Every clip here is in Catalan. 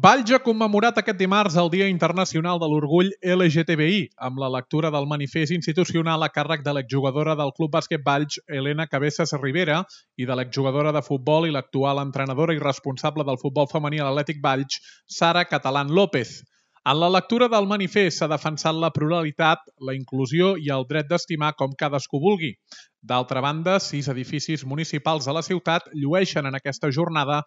Valls ha commemorat aquest dimarts el Dia Internacional de l'Orgull LGTBI amb la lectura del manifest institucional a càrrec de l'exjugadora del Club Bàsquet Valls, Elena Cabezas Rivera, i de l'exjugadora de futbol i l'actual entrenadora i responsable del futbol femení a l'Atlètic Valls, Sara Catalán López. En la lectura del manifest s'ha defensat la pluralitat, la inclusió i el dret d'estimar com cadascú vulgui. D'altra banda, 6 edificis municipals de la ciutat llueixen en aquesta jornada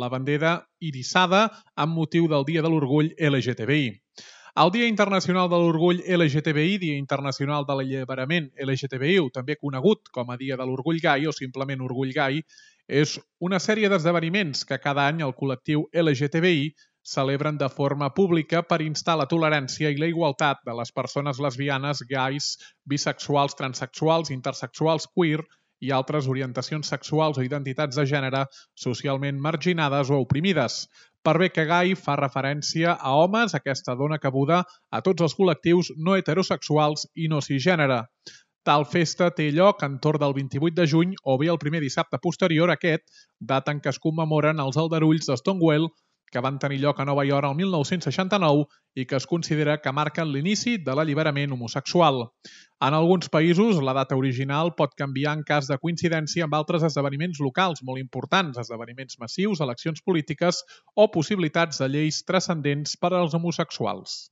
la bandera irissada amb motiu del Dia de l'Orgull LGTBI. El Dia Internacional de l'Orgull LGTBI, Dia Internacional de l'Alliberament LGTBI, o també conegut com a Dia de l'Orgull Gai o simplement Orgull Gai, és una sèrie d'esdeveniments que cada any el col·lectiu LGTBI celebren de forma pública per instar la tolerància i la igualtat de les persones lesbianes, gais, bisexuals, transexuals, intersexuals, queer i altres orientacions sexuals o identitats de gènere socialment marginades o oprimides. Per bé que gai fa referència a homes, aquesta dona cabuda a tots els col·lectius no heterosexuals i no cisgènere. Tal festa té lloc entorn del 28 de juny o bé el primer dissabte posterior a aquest, data en què es commemoren els aldarulls de Stonewall, que van tenir lloc a Nova York el 1969 i que es considera que marquen l'inici de l'alliberament homosexual. En alguns països, la data original pot canviar en cas de coincidència amb altres esdeveniments locals molt importants, esdeveniments massius, eleccions polítiques o possibilitats de lleis transcendents per als homosexuals.